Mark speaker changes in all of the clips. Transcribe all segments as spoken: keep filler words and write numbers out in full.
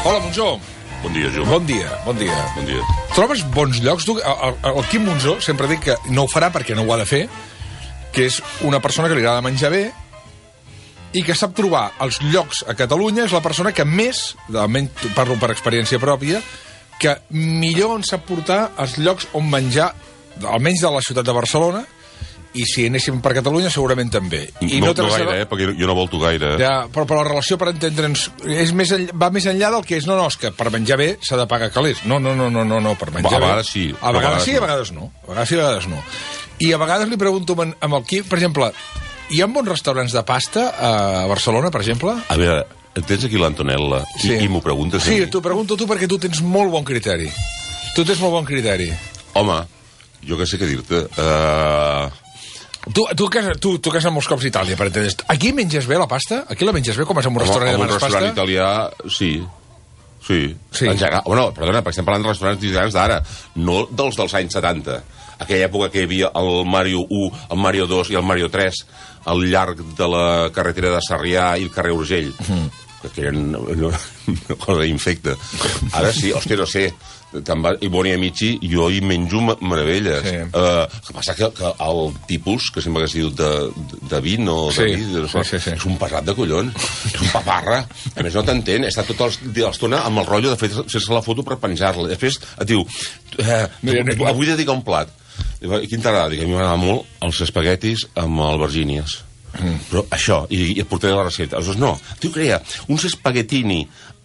Speaker 1: Hola, Monzó.
Speaker 2: Bon dia, Jum.
Speaker 1: Bon dia, bon dia.
Speaker 2: Bon dia.
Speaker 1: Trobes bons llocs? Tu, el, el Quim Monzó sempre dic que no ho farà perquè no ho ha de fer, que és una persona que li agrada menjar bé i que sap trobar els llocs a Catalunya. És la persona que més, almenys parlo per experiència pròpia, que millor ens sap portar els llocs on menjar, almenys de la ciutat de Barcelona, i si anéssim per Catalunya segurament també. I
Speaker 2: no,
Speaker 1: no,
Speaker 2: no gaire, eh? Perquè jo no volto gaire.
Speaker 1: Ja, però, però la relació, per entendre'ns, és més enllà, va més enllà del que és, no, no, és que per menjar bé s'ha de pagar calés. No, no, no, no, no, no per menjar
Speaker 2: a
Speaker 1: bé.
Speaker 2: Vegades sí.
Speaker 1: A vegades sí, a vegades no. A vegades sí, a vegades no. I a vegades li pregunto amb el Quim, per exemple, hi ha bons restaurants de pasta a Barcelona, per exemple?
Speaker 2: A veure, tens aquí l'Antonella sí. i, i m'ho preguntes
Speaker 1: sí,
Speaker 2: a mi.
Speaker 1: Sí, t'ho pregunto tu perquè tu tens molt bon criteri. Tu tens molt bon criteri.
Speaker 2: Home, jo què sé què dir-te. Uh...
Speaker 1: Tu, tu, que has, tu, tu que has anat molts cops a Itàlia, per entendre's. Aquí menges bé la pasta? Aquí la menges bé, com és en un restaurant i demanes pasta?
Speaker 2: En un restaurant italià, sí. Sí. sí. En general, bueno, perdona, perquè estem parlant de restaurants italians d'ara, no dels dels anys setanta. Aquella època que hi havia el Mario u, el Mario dos i el Mario tres al llarg de la carretera de Sarrià i el carrer Urgell. Mm. Que eren una cosa infecta. Ara sí, hòstia, no sé, te'n vas, i Boni Amici, jo hi menjo meravelles. Sí. Uh, el que passa que, que el tipus, que sempre hagués dit de, de vin o de
Speaker 1: sí.
Speaker 2: vi, de,
Speaker 1: sí, sí, sí.
Speaker 2: és un pesat de collons, és un paparra. A més, no t'entén, està tota l'estona amb el rotllo de fer-se la foto per penjar-la. Després et diu, eh, avui dedica un plat. Quin t'agrada? Dic, a mi m'agrada molt els espaguetis amb albergínies. Mm. Però això, i, i et portaré la recepta. Aleshores, no, tu crea uns espaguetini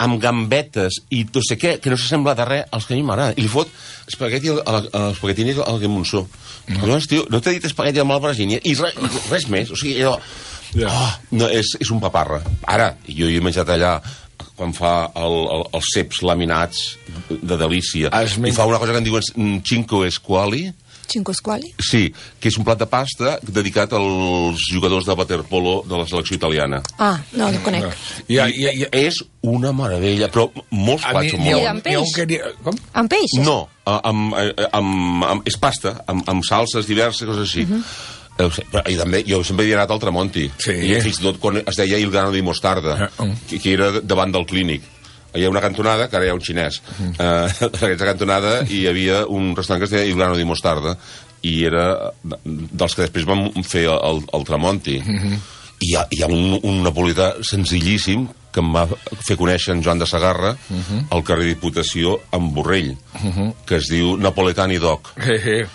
Speaker 2: amb gambetes i no sé què, que no s'assembla de res als que a mi m'agrada. I li fot espagueti al, al, al espaguetini al Quim Monzó. Mm. Llavors, tio, no t'he dit espagueti amb albergínia i res, res més. O sigui, allò... Yeah. Oh, no, és, és un paparra. Ara, jo hi he menjat allà quan fa el, el, els ceps laminats de delícia. Es I fa una cosa que en diuen cinco squali.
Speaker 3: Cinco squali?
Speaker 2: Sí, que és un plat de pasta dedicat als jugadors de waterpolo de la selecció italiana.
Speaker 3: Ah, no, no conec.
Speaker 2: I, I, i és una meravella, però molts plats són molt
Speaker 3: bons. Amb peix? Que... Com? Amb peix?
Speaker 2: No, amb, amb, amb, amb, és pasta, amb, amb salses diverses, coses així. Uh -huh. I també, jo sempre he anat al Tramonti, sí. I fins i tot quan es deia Il Grano di Mostarda, uh -huh. que, que era davant del Clínic. Hi ha una cantonada, que ara hi ha un xinès. Uh, en aquesta cantonada hi havia un restaurant que es deia Il Grano di Mostarda i era dels que després van fer el, el Tramonti. Uh -huh. I hi ha, hi ha un, un napolità senzillíssim que em va fer conèixer en Joan de Sagarra uh -huh. al carrer Diputació amb Borrell, uh -huh. que es diu Napoletani Doc. Uh -huh.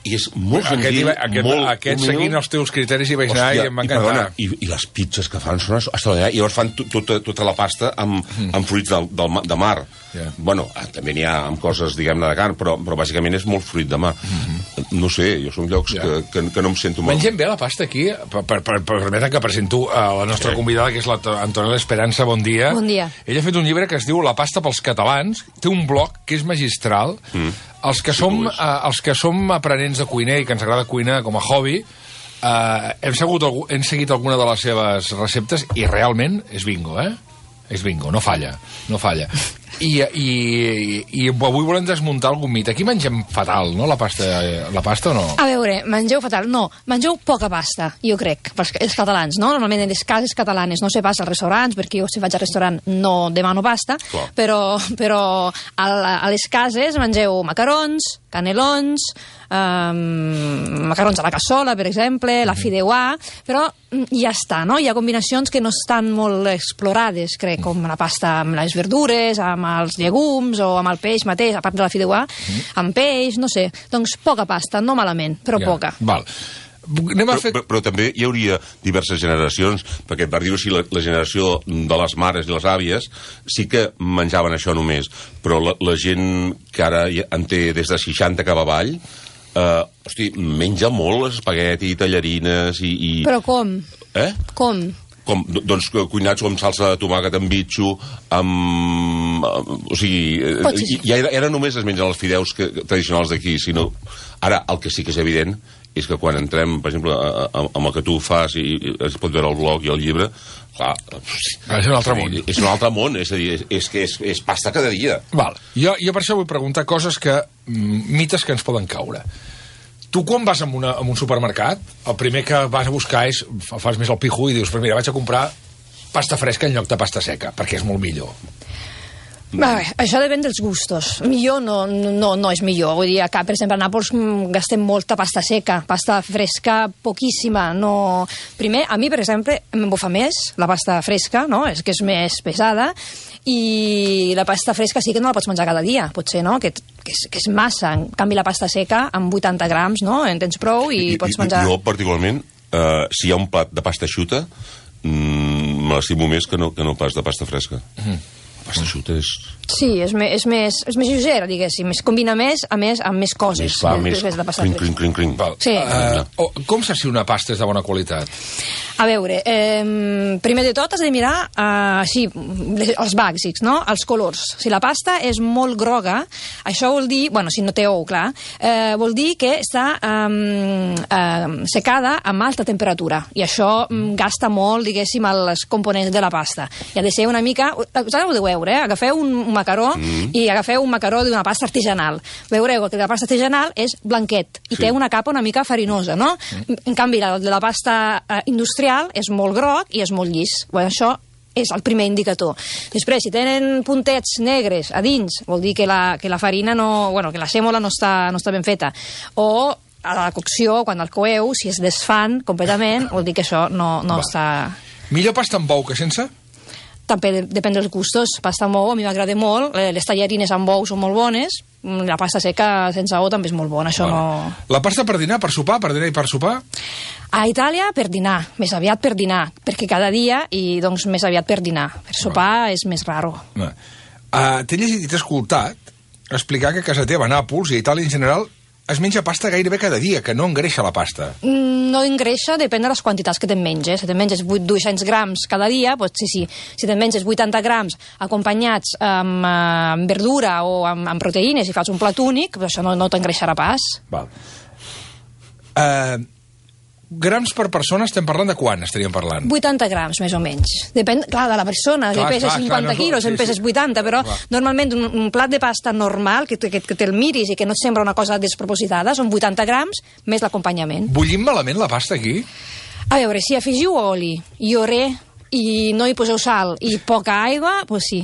Speaker 2: I és molt senzill,
Speaker 1: aquest, aquest,
Speaker 2: molt
Speaker 1: aquest humil. Seguint els teus criteris hi vaig anar. Hòstia, i em va encantar. I, perdona,
Speaker 2: i, i les pizzas que fan són extraordinàries. I llavors fan tota, tota la pasta amb, mm. amb fruits del, del, de mar. Yeah. Bueno, també n'hi ha amb coses, diguem-ne, de carn, però, però bàsicament és molt fruit de mar. Mm-hmm. No sé, jo són llocs yeah. que, que, que no em sento mal.
Speaker 1: Mengem bé la pasta aquí? Per, per, per, per permetre que presento a la nostra sí. convidada, que és l'Antonella Esperanza. Bon dia.
Speaker 3: Bon dia.
Speaker 1: Ella ha fet un llibre que es diu La pasta pels catalans. Té un blog que és magistral. Mm. Els que, sí, som, uh, els que som aprenents de cuiner i que ens agrada cuinar com a hobby, uh, hem, segut, hem seguit alguna de les seves receptes i realment és bingo, eh? És bingo, no falla, no falla. I, i, i avui volem desmuntar algun mite. Aquí mengem fatal, no, la pasta, la pasta o no?
Speaker 3: A veure, mengeu fatal, no. Mengeu poca pasta, jo crec, els catalans, no? Normalment en les cases catalanes, no sé pas als restaurants, perquè jo si vaig al restaurant no demano pasta, Clar. però, però a, a les cases mengeu macarons, canelons, um, macarons a la cassola, per exemple, la fideuà, però ja està, no? Hi ha combinacions que no estan molt explorades, crec, com la pasta amb les verdures, amb els llegums o amb el peix mateix, a part de la fideuà, mm. amb peix, no sé. Doncs poca pasta, no malament, però ja. poca.
Speaker 1: Val. Anem a fer...
Speaker 2: però, però, però també hi hauria diverses generacions, perquè per dir-ho així, la, la generació de les mares i les àvies sí que menjaven això només, però la, la gent que ara en té des de seixanta cap avall, eh, hosti, menja molt espagueti, tallarines i... i...
Speaker 3: Però com?
Speaker 2: Eh?
Speaker 3: Com?
Speaker 2: Com, doncs cuinats amb salsa de tomàquet, amb bitxo, amb... O sigui, ja era, era només es mengen els fideus que, tradicionals d'aquí, sinó... Ara, el que sí que és evident és que quan entrem, per exemple, amb el que tu fas i, i es pot veure el blog i el llibre, clar...
Speaker 1: És un altre món.
Speaker 2: És un altre món, és a dir, és, és que és, és pasta cada dia.
Speaker 1: Val. Jo, jo per això vull preguntar coses que... mites que ens poden caure. Tu quan vas a, una, a un supermercat, el primer que vas a buscar és, fas més el pijo i dius, però mira, vaig a comprar pasta fresca en lloc de pasta seca, perquè és molt millor.
Speaker 3: Bé, això depèn dels gustos. Millor no, no, no és millor. Vull dir, acá, per exemple, a Nàpols gastem molta pasta seca, pasta fresca poquíssima. No... Primer, a mi, per exemple, m'embofa més la pasta fresca, no? És que és més pesada, i la pasta fresca sí que no la pots menjar cada dia, potser, no? Que, que, és, que és massa. En canvi, la pasta seca, amb vuitanta grams, no? En tens prou i, I pots menjar...
Speaker 2: Jo, particularment, eh, si hi ha un plat de pasta xuta, mmm, me l'estimo més que no, que no pas de pasta fresca. Mm. La pasta xuta és...
Speaker 3: Sí, és, me, és, més, és més lleugera, diguéssim. Es combina més, a més, amb més coses.
Speaker 2: Més va, més crin, crin, crin, crin.
Speaker 3: Sí.
Speaker 1: Uh, oh, com saps si una pasta és de bona qualitat?
Speaker 3: A veure, eh, primer de tot has de mirar eh, així, els bàsics, no? Els colors. Si la pasta és molt groga, això vol dir, bueno, si no té ou, clar, eh, vol dir que està eh, eh, secada amb alta temperatura, i això mm, gasta molt, diguéssim, els components de la pasta. I ha de ser una mica... Us heu de veure, eh? Agafeu un, un macaró mm. i agafeu un macaró d'una pasta artesanal. Veureu que la pasta artesanal és blanquet i sí. té una capa una mica farinosa, no? Mm. En canvi, la de la pasta eh, industrial és molt groc i és molt llis. Bueno, això és el primer indicador. Després, si tenen puntets negres a dins, vol dir que la, que la farina no... Bueno, que la sèmola no està, no està ben feta. O a la cocció, quan el coeu, si es desfan completament, vol dir que això no, no està...
Speaker 1: Millor pasta amb bou que sense?
Speaker 3: També depèn dels gustos. Pasta amb ou a mi m'agrada molt, les tallarines amb ou són molt bones, la pasta seca sense ou també és molt bona, això bueno. no...
Speaker 1: La pasta per dinar, per sopar, per dinar i per sopar?
Speaker 3: A Itàlia per dinar, més aviat per dinar, perquè cada dia, i doncs més aviat per dinar. Per sopar no. és més raro. No.
Speaker 1: Uh, T'he llegit i t'he escoltat explicar que a casa teva, a Nàpols i a Itàlia en general, es menja pasta gairebé cada dia, que no engreixa la pasta.
Speaker 3: No engreixa, depèn de les quantitats que te'n menges. Si te'n menges vuit-cents grams cada dia, doncs sí, sí. Si te'n menges vuitanta grams acompanyats amb, amb verdura o amb, amb proteïnes i fas un plat únic, doncs això no, no t'engreixarà pas.
Speaker 1: Val. Uh, grams per persona estem parlant de quan estaríem parlant?
Speaker 3: vuitanta grams, més o menys. Depèn, clar, de la persona, clar, que pesa clar, cinquanta clar, no, quilos, sí, en peses sí. vuitanta, però clar. normalment un, un plat de pasta normal, que, que, que te'l miris i que no et sembla una cosa despropositada, són vuitanta grams més l'acompanyament.
Speaker 1: Bullim malament la pasta aquí?
Speaker 3: A veure, si afegiu oli i oré i no hi poseu sal i poca aigua, doncs sí.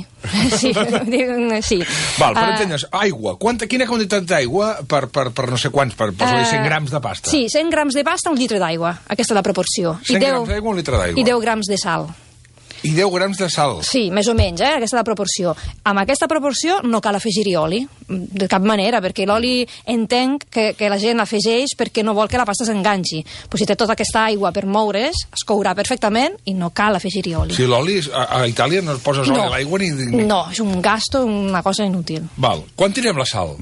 Speaker 3: sí, sí.
Speaker 1: Val, per uh, entendre's, aigua. Quanta, quina quantitat d'aigua per, per, per no sé quants, per, per uh, cent grams de pasta?
Speaker 3: Sí, cent grams de pasta, un litre d'aigua. Aquesta és la proporció.
Speaker 1: cent grams d'aigua, un litre d'aigua.
Speaker 3: I deu grams de sal.
Speaker 1: I deu grams de sal.
Speaker 3: Sí, més o menys, eh? Aquesta és la proporció. Amb aquesta proporció no cal afegir-hi oli, de cap manera, perquè l'oli entenc que, que la gent l'afegeix perquè no vol que la pasta s'enganxi. Però si té tota aquesta aigua per moure's, es courà perfectament i no cal afegir-hi oli.
Speaker 1: Sí, l'oli, a, a Itàlia no es poses oli
Speaker 3: no.
Speaker 1: a l'aigua ni...
Speaker 3: No, és un gasto, una cosa inútil.
Speaker 1: Val. Quan tirem la sal?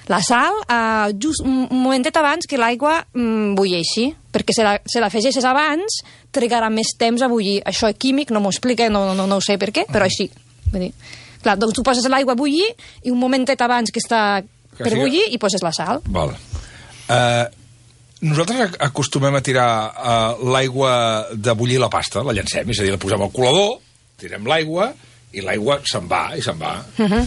Speaker 3: La sal, eh, just un momentet abans que l'aigua mm, bulleixi, perquè si la, si l'afegeixes abans, trigarà més temps a bullir. Això químic no m'ho explica, no, no, no ho sé per què, però així. Vull dir, clar, doncs tu poses l'aigua a bullir i un momentet abans que està que per siga... bullir i poses la sal.
Speaker 1: Val. Uh, nosaltres acostumem a tirar uh, l'aigua de bullir la pasta, la llancem, és a dir, la posem al colador, tirem l'aigua i l'aigua se'n va i se'n va. Uh -huh.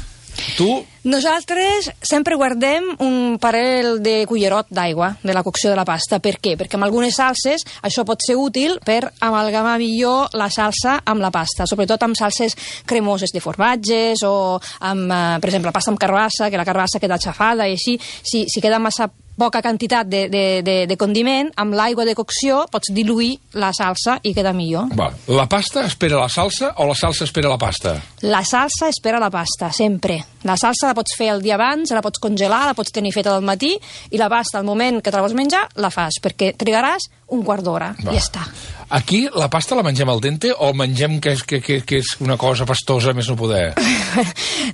Speaker 1: Tu?
Speaker 3: Nosaltres sempre guardem un parell de cullerot d'aigua de la cocció de la pasta. Per què? Perquè amb algunes salses això pot ser útil per amalgamar millor la salsa amb la pasta, sobretot amb salses cremoses de formatges o amb, eh, per exemple, pasta amb carbassa, que la carbassa queda xafada i així, si, si queda massa poca quantitat de, de, de, de condiment, amb l'aigua de cocció pots diluir la salsa i queda millor.
Speaker 1: Va. La pasta espera la salsa o la salsa espera la pasta?
Speaker 3: La salsa espera la pasta, sempre. La salsa la pots fer el dia abans, la pots congelar, la pots tenir feta del matí, i la pasta, al moment que te la vols menjar, la fas, perquè trigaràs un quart d'hora, i ja està.
Speaker 1: Aquí la pasta la mengem al dente o mengem que és, que, que, que és una cosa pastosa més no poder?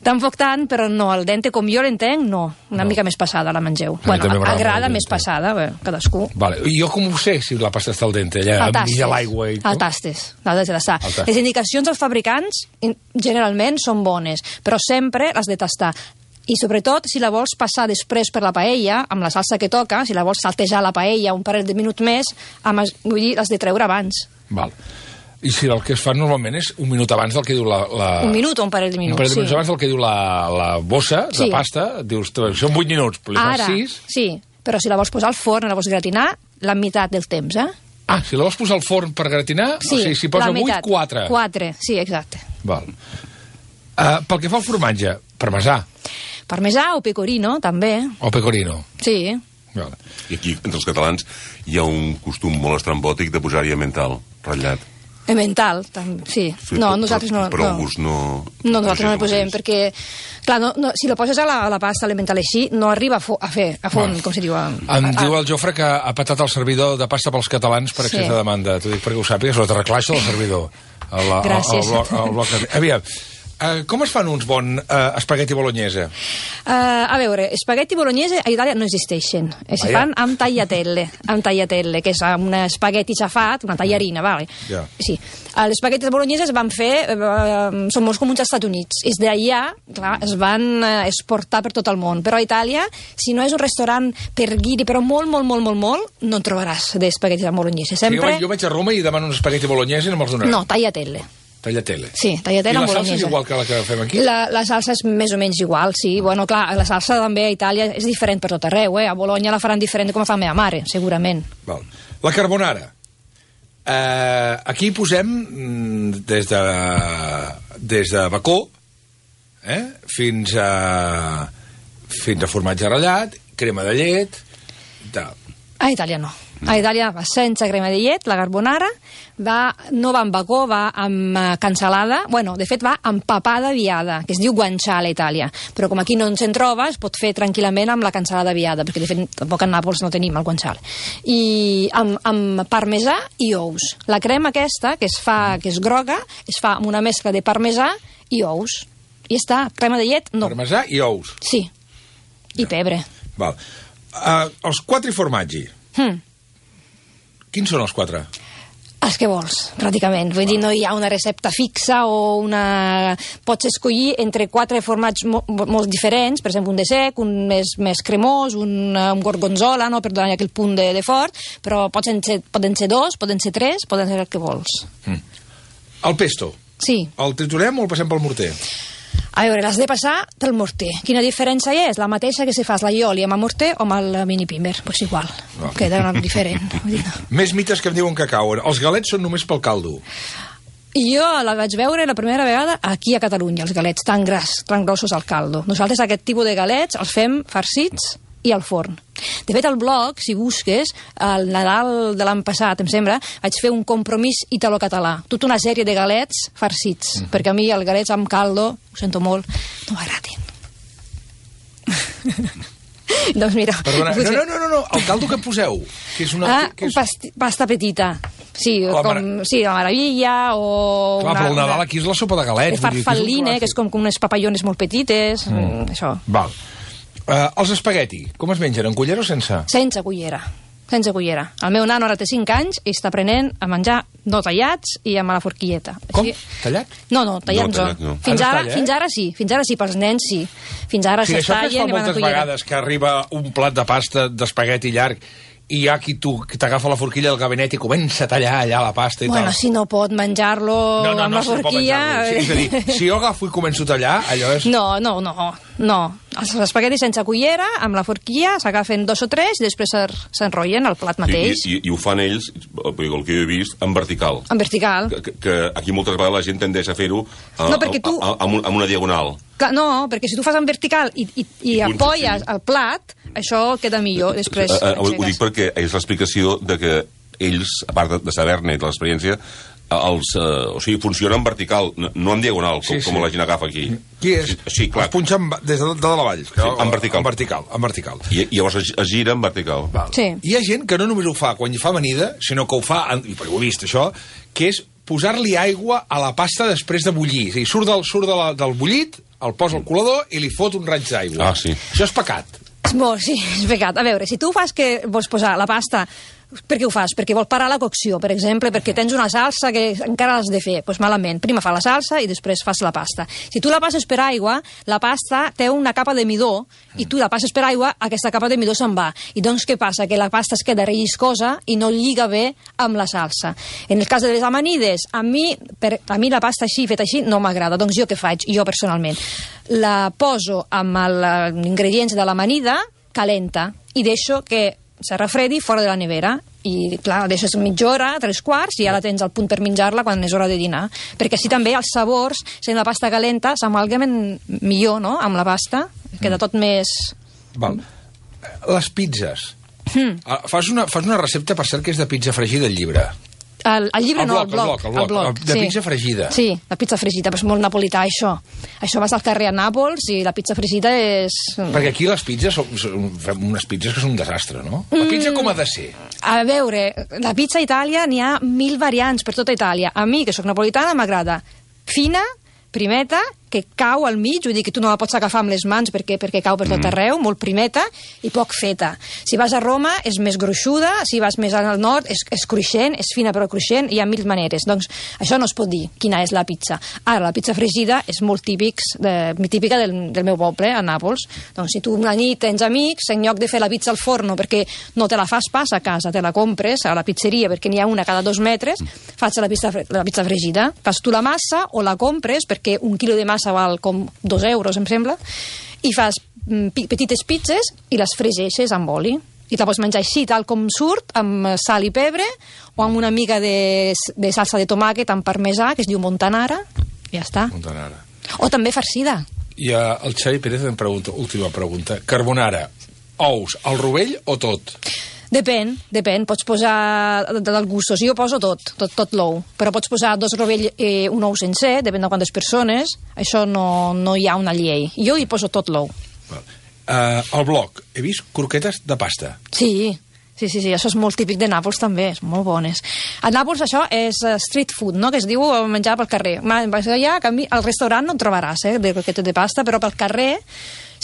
Speaker 3: Tampoc tant, però no, al dente, com jo l'entenc, no. Una no. mica més passada la mengeu. A bueno, agrada més passada, bé, cadascú.
Speaker 1: Vale. I jo com ho sé, si la pasta està al dente? Allà, enmig de l'aigua i...
Speaker 3: El tastes. L'has de tastar. Les indicacions dels fabricants generalment són bones, però sempre les de tastar. I sobretot, si la vols passar després per la paella, amb la salsa que toca, si la vols saltejar la paella un parell de minuts més, amb, vull dir, l'has de treure abans.
Speaker 1: Val. I si el que es fa normalment és un minut abans del que diu la... la...
Speaker 3: Un minut o un parell de minuts,
Speaker 1: Un parell de minuts
Speaker 3: sí.
Speaker 1: abans del que diu la, la bossa de
Speaker 3: sí.
Speaker 1: pasta, dius, són vuit minuts, però li fas
Speaker 3: Ara,
Speaker 1: sis...
Speaker 3: sí, però si la vols posar al forn, la vols gratinar, la meitat del temps, eh?
Speaker 1: Ah, si la vols posar al forn per gratinar,
Speaker 3: sí,
Speaker 1: o sigui, si posa vuit, quatre.
Speaker 3: quatre, sí, exacte.
Speaker 1: Val. Uh, pel que fa al formatge, parmesà.
Speaker 3: Parmesà o pecorino, també.
Speaker 1: O pecorino.
Speaker 3: Sí.
Speaker 1: Vale.
Speaker 2: I aquí, entre els catalans, hi ha un costum molt estrambòtic de posar-hi emmental, ratllat.
Speaker 3: Emmental, sí.
Speaker 2: Sí,
Speaker 3: no,
Speaker 2: però,
Speaker 3: nosaltres no.
Speaker 2: Però
Speaker 3: no.
Speaker 2: el gust no...
Speaker 3: No, nosaltres no hi posem, perquè, clar, no, no, si la poses a la, a la pasta, l'emmental així, no arriba a, fo, a fer, a font, com se diu. A,
Speaker 1: em a, diu el Jofre que ha patat el servidor de pasta pels catalans per excés sí. de demanda. T'ho dic perquè ho sàpigues, la terraclaixa del servidor. El, el,
Speaker 3: Gràcies.
Speaker 1: El, el, el, el bloc... Aviam, Uh, com es fan uns bons uh, espagueti bolognese?
Speaker 3: Uh, a veure, espagueti bolognese a Itàlia no existeixen. Es
Speaker 1: Vaja.
Speaker 3: fan amb tagliatelle, amb tagliatelle, que és un espagueti xafat, una tallarina, vale?
Speaker 1: Ja.
Speaker 3: Sí. Uh, les espaguetis bologneses es van fer, uh, són molt comuns als Estats Units. És d'allà, clar, es van uh, exportar per tot el món. Però a Itàlia, si no és un restaurant per guiri, però molt, molt, molt, molt, molt, no en trobaràs d'espaguetis bolognese. Sempre...
Speaker 1: Jo, vaig, jo vaig a Roma i demano un espagueti bolognese i no me'ls donaran.
Speaker 3: No, tagliatelle.
Speaker 1: Tagliatelle.
Speaker 3: Sí, tagliatelle amb bolognese.
Speaker 1: I la salsa és igual que la que fem aquí?
Speaker 3: La, la salsa és més o menys igual, sí. Bueno, clar, la salsa també a Itàlia és diferent per tot arreu, eh? A Bologna la faran diferent com la fa la meva mare, segurament.
Speaker 1: Val. La carbonara. Uh, aquí posem mm, des de des de bacó eh? fins a fins a formatge ratllat, crema de llet i tal.
Speaker 3: A Itàlia no. A Itàlia va sense crema de llet, la carbonara, va, no va amb bacó, va amb uh, cansalada, bueno, de fet va amb papada viada, que es diu guanciale a Itàlia, però com aquí no se'n troba, es pot fer tranquil·lament amb la cansalada viada, perquè de fet tampoc a Nàpols no tenim el guanciale. I amb, amb parmesà i ous. La crema aquesta, que es fa, que és groga, es fa amb una mescla de parmesà i ous. I està, crema de llet, no.
Speaker 1: Parmesà i ous.
Speaker 3: Sí. I pebre.
Speaker 1: Val. Uh, els quatre formatgi.
Speaker 3: Hmm.
Speaker 1: Quins són els quatre?
Speaker 3: Els que vols, pràcticament. Vull dir, no hi ha una recepta fixa o una... Pots escollir entre quatre formats mo molt diferents, per exemple, un de sec, un més, més cremós, un, un gorgonzola, no? Per donar aquell punt de, de fort, però poden ser, poden ser dos, poden ser tres, poden ser el que vols.
Speaker 1: Mm. El pesto.
Speaker 3: Sí.
Speaker 1: El triturem o el passem pel morter?
Speaker 3: A veure, l'has de passar pel morter. Quina diferència hi és? La mateixa que si fas l'aioli amb el morter o amb el mini pimer. Doncs pues igual, no. Queda diferent.
Speaker 1: Més mites que em diuen que cauen. Els galets són només pel caldo.
Speaker 3: Jo la vaig veure la primera vegada aquí a Catalunya, els galets tan gras, tan grossos al caldo. Nosaltres aquest tipus de galets els fem farcits i al forn. De fet, al blog, si busques, al Nadal de l'any passat, em sembla, vaig fer un compromís italo-català. Tota una sèrie de galets farcits, mm. perquè a mi els galets amb caldo, ho sento molt, no m'agradin. Doncs mira...
Speaker 1: Perdona, no, no, no, no, no, el caldo que poseu, que és una...
Speaker 3: Ah,
Speaker 1: que és...
Speaker 3: pasti, pasta petita. Sí,
Speaker 1: la
Speaker 3: com,
Speaker 1: mar...
Speaker 3: sí, la maravilla o...
Speaker 1: Clar,
Speaker 3: una,
Speaker 1: però el Nadal
Speaker 3: una...
Speaker 1: aquí és la sopa de galets.
Speaker 3: De farfalline, que és com, com unes papallones molt petites, mm. això.
Speaker 1: Val. Uh, els espagueti, com es mengen, en cullera o sense?
Speaker 3: Sense cullera, sense cullera. El meu nano ara té cinc anys i està aprenent a menjar no tallats i amb la forquilleta.
Speaker 1: Com?
Speaker 3: Així...
Speaker 1: Tallat?
Speaker 3: No, no, tallats no.
Speaker 2: Tallat, no.
Speaker 3: Fins,
Speaker 1: Ah, no
Speaker 3: ara,
Speaker 1: talla, eh?
Speaker 3: fins ara sí, fins ara sí, pels nens sí. Fins ara
Speaker 1: O sigui,
Speaker 3: es
Speaker 1: això que es
Speaker 3: tallen
Speaker 1: fa
Speaker 3: i van a
Speaker 1: moltes
Speaker 3: cullera.
Speaker 1: vegades, que arriba un plat de pasta d'espagueti llarg i hi ha qui t'agafa la forquilla del gabinet i comença a tallar allà la pasta i
Speaker 3: Bueno,
Speaker 1: tal.
Speaker 3: si no pot menjar-lo
Speaker 1: No, no,
Speaker 3: amb
Speaker 1: no,
Speaker 3: la
Speaker 1: si no pot
Speaker 3: forquilla...
Speaker 1: menjar-lo. Sí, és a dir, si jo agafo i començo a tallar, allò és...
Speaker 3: No, no, no, no. Els espaguetis sense cullera, amb la forquilla, s'agafen dos o tres i després s'enrotllen al plat mateix.
Speaker 2: I, i, I ho fan ells, el que jo he vist, en vertical.
Speaker 3: En vertical.
Speaker 2: Que, que aquí moltes vegades la gent tendeix a fer-ho a,
Speaker 3: No, perquè tu-
Speaker 2: a, a, a, amb una diagonal.
Speaker 3: Clar, no, perquè si tu fas en vertical i, i, i
Speaker 2: I
Speaker 3: apoyes
Speaker 2: sí.
Speaker 3: el plat, això queda millor després.
Speaker 2: Uh, uh, ho dic perquè és l'explicació de que ells, a part de, de saber-ne i de l'experiència, els, uh, o sigui, funcionen en vertical, no, no en diagonal, com,
Speaker 1: Sí, sí.
Speaker 2: com la gent agafa aquí.
Speaker 1: Qui és?
Speaker 2: Sí, sí, clar.
Speaker 1: Es punxa en, des de, de dalt a vall.
Speaker 2: Sí, en vertical.
Speaker 1: En vertical, en vertical.
Speaker 2: I, i llavors es, es gira en vertical.
Speaker 1: Val.
Speaker 3: Sí.
Speaker 1: Hi ha gent que no només ho fa quan hi fa amanida, sinó que ho fa, i perquè ho he vist això, que és posar-li aigua a la pasta després de bullir. És a dir, surt del, surt de la, del bullit, el posa al colador i li fot un raig d'aigua.
Speaker 2: Ah, sí.
Speaker 1: Això és pecat.
Speaker 3: Bo, sí, és pecat. A veure, si tu fas que vols posar la pasta... Per què ho fas? Perquè vol parar la cocció, per exemple, perquè tens una salsa que encara l'has de fer. Doncs pues malament. Primer fa la salsa i després fas la pasta. Si tu la passes per aigua, la pasta té una capa de midó i tu la passes per aigua, aquesta capa de midó se'n va. I doncs què passa? Que la pasta es queda relliscosa i no lliga bé amb la salsa. En el cas de les amanides, a mi, per, a mi la pasta així, feta així, no m'agrada. Doncs jo què faig? Jo personalment. La poso amb els ingredients de l'amanida calenta i deixo que se refredi fora de la nevera i clar, deixes mitja hora, tres quarts, i ja la tens al punt per menjar-la quan és hora de dinar. Perquè així també els sabors, sent la pasta calenta, s'amalgamen millor, no?, amb la pasta, queda tot més...
Speaker 1: Val. Les pizzas. Mm. Fas, una, fas una recepta, per cert, que és de pizza fregida al llibre.
Speaker 3: El, el llibre
Speaker 1: el
Speaker 3: no,
Speaker 1: bloc,
Speaker 3: el bloc.
Speaker 1: El bloc, el bloc, el bloc. De
Speaker 3: sí.
Speaker 1: pizza fregida.
Speaker 3: Sí, la pizza fregida, però és molt napolità, això. Això vas al carrer a Nàpols i la pizza fregida és...
Speaker 1: Perquè aquí les pizzas, són, són, fem unes pizzas que són un desastre, no? La pizza com ha de ser?
Speaker 3: A veure, la pizza a Itàlia n'hi ha mil variants per tota Itàlia. A mi, que sóc napolitana, m'agrada fina, primeta, que cau al mig, vull dir que tu no la pots agafar amb les mans perquè perquè cau per tot arreu, molt primeta i poc feta. Si vas a Roma és més gruixuda, si vas més al nord és, és cruixent, és fina però cruixent, hi ha mil maneres. Doncs això no es pot dir quina és la pizza. Ara, la pizza fregida és molt típics, de, típica del, del meu poble, a Nàpols. Doncs si tu una nit tens amics, en lloc de fer la pizza al forno perquè no te la fas pas a casa, te la compres a la pizzeria perquè n'hi ha una cada dos metres, fas la pizza, la pizza fregida. Fas tu la massa o la compres perquè un quilo de massa val com dos euros, em sembla, i fas petites pizzas i les fregeixes amb oli. I te la pots menjar així, tal com surt, amb sal i pebre, o amb una mica de, de salsa de tomàquet amb parmesà, que es diu montanara, i ja està.
Speaker 1: Montanara.
Speaker 3: O també farcida.
Speaker 1: I uh, el Xavi Pérez em pregunta, última pregunta, carbonara, ous, al rovell o tot?
Speaker 3: Depèn, depèn, pots posar del gustos, jo poso tot, tot, tot l'ou, però pots posar dos rovell i eh, un ou sencer, depèn de quantes persones, això no, no hi ha una llei, jo hi poso tot l'ou.
Speaker 1: Uh, al bloc, he vist croquetes de pasta.
Speaker 3: Sí, sí, sí, sí, això és molt típic de Nàpols també, és molt bones. A Nàpols això és street food, no?, que es diu menjar pel carrer. Allà, al restaurant no en trobaràs, eh, de croquetes de pasta, però pel carrer...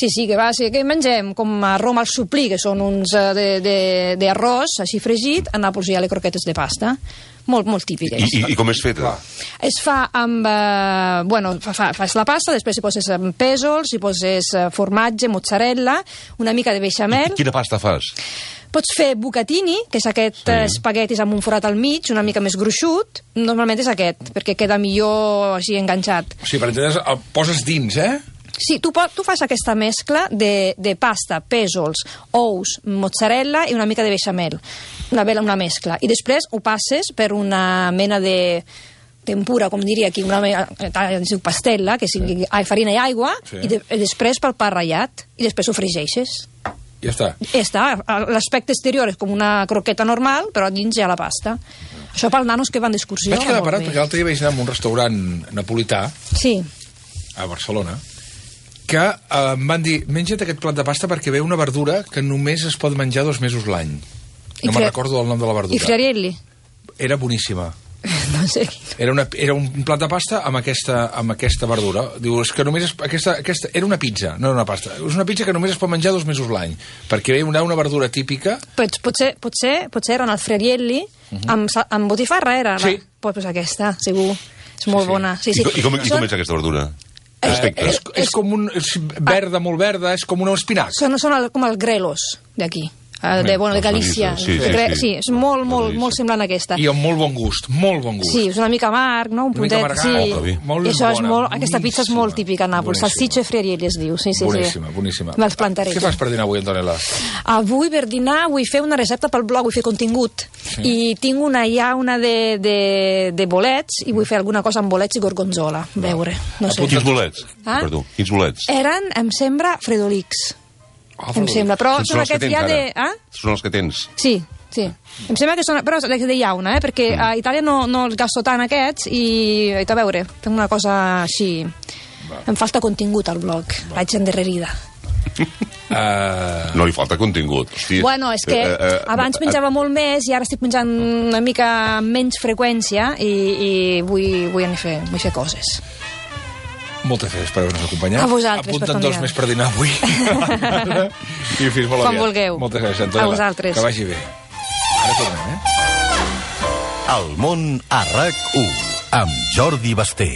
Speaker 3: Sí, sí, que va, sí, que mengem com a Roma al suplí, que són uns d'arròs, així fregit, a Nàpols hi ha les croquetes de pasta. Molt, molt típiques.
Speaker 2: I, i, i com és feta?
Speaker 3: Es fa amb... Eh, bueno, fa, fa, fas la pasta, després hi poses pèsols, hi poses formatge, mozzarella, una mica de beixamel...
Speaker 2: I quina pasta fas?
Speaker 3: Pots fer bucatini, que és aquest sí. espaguetis amb un forat al mig, una mica més gruixut. Normalment és aquest, perquè queda millor així enganxat.
Speaker 1: O sigui, per entendre's, el poses dins, eh?
Speaker 3: Sí, tu, tu fas aquesta mescla de, de pasta, pèsols, ous, mozzarella i una mica de beixamel. Una, una mescla. I després ho passes per una mena de tempura, com diria aquí, una mena, es diu pastella, que sigui sí. farina i aigua, sí. i, de, i després pel pa ratllat, i després ho fregeixes.
Speaker 1: Ja està.
Speaker 3: Ja està. L'aspecte exterior és com una croqueta normal, però dins hi ha la pasta. Això pels nanos que van d'excursió.
Speaker 1: Vaig quedar parat perquè l'altre dia vaig anar a un restaurant napolità,
Speaker 3: sí.
Speaker 1: a Barcelona, que eh, em van dir, menja't aquest plat de pasta perquè ve una verdura que només es pot menjar dos mesos l'any. No me'n recordo el nom de la verdura.
Speaker 3: I friarielli?
Speaker 1: Era boníssima.
Speaker 3: No sé.
Speaker 1: Era, una, era un plat de pasta amb aquesta, amb aquesta verdura. Diu, és que només es, aquesta, aquesta, era una pizza, no era una pasta. És una pizza que només es pot menjar dos mesos l'any, perquè ve una, una verdura típica.
Speaker 3: Pues, potser, potser, potser era el friarielli, uh -huh. amb, amb botifarra era?
Speaker 1: Sí.
Speaker 3: Pues, pues aquesta, segur. És molt
Speaker 1: sí, sí.
Speaker 3: bona. Sí, sí.
Speaker 2: I, com, i com és aquesta verdura?
Speaker 1: Eh, és, és com un és verda, molt verda, és com un espinac.
Speaker 3: Són, són el, com els grelos d'aquí. De, bueno, de Galícia.
Speaker 2: Sí, sí,
Speaker 3: sí, sí.
Speaker 2: sí.
Speaker 3: sí, és molt, molt, molt semblant a aquesta.
Speaker 1: I amb molt bon gust, molt bon gust.
Speaker 3: Sí, és una mica amarg, no? Un puntet,
Speaker 1: amargat,
Speaker 3: sí.
Speaker 1: Oh, molt
Speaker 3: I això és
Speaker 1: bona,
Speaker 3: molt, aquesta pizza és molt típica a Nàpols. Salsiccia friarielli es diu. Sí, sí,
Speaker 1: boníssima,
Speaker 3: sí.
Speaker 1: boníssima.
Speaker 3: Me'ls plantaré.
Speaker 1: Què fas per dinar avui, Antonella?
Speaker 3: Avui per dinar vull fer una recepta pel blog, vull fer contingut. Sí. I tinc una, hi ha una de, de, de bolets, i vull fer alguna cosa amb bolets i gorgonzola. A veure, no sé.
Speaker 2: Quins bolets?
Speaker 3: Ah?
Speaker 2: Perdó, quins bolets?
Speaker 3: Eren, em sembla, fredolics.
Speaker 1: Oh,
Speaker 3: em sembla, però
Speaker 2: són,
Speaker 3: són aquests ja de... Ah?
Speaker 2: Són els que tens?
Speaker 3: Sí, sí. Em sembla que són... Però de llauna, eh? Perquè a Itàlia no, no els gasto tant aquests i... I a veure, fem una cosa així... Va. Em falta contingut al blog. Va. Vaig endarrerida.
Speaker 2: Uh... No li falta contingut. Hosti.
Speaker 3: Bueno, és que uh, uh, abans menjava uh, molt més i ara estic menjant una mica amb menys freqüència i, i vull, vull, fer, vull fer coses.
Speaker 1: Moltes gràcies per haver-nos acompanyat.
Speaker 3: A vosaltres,
Speaker 1: Apunta'n dos més per dinar avui. I fins molt
Speaker 3: aviat.
Speaker 1: Quan
Speaker 3: vulgueu.
Speaker 1: Moltes gràcies, Antonella.
Speaker 3: A vosaltres.
Speaker 1: Que vagi bé. Ara tornem, eh?
Speaker 4: El món a RAC u amb Jordi Basté.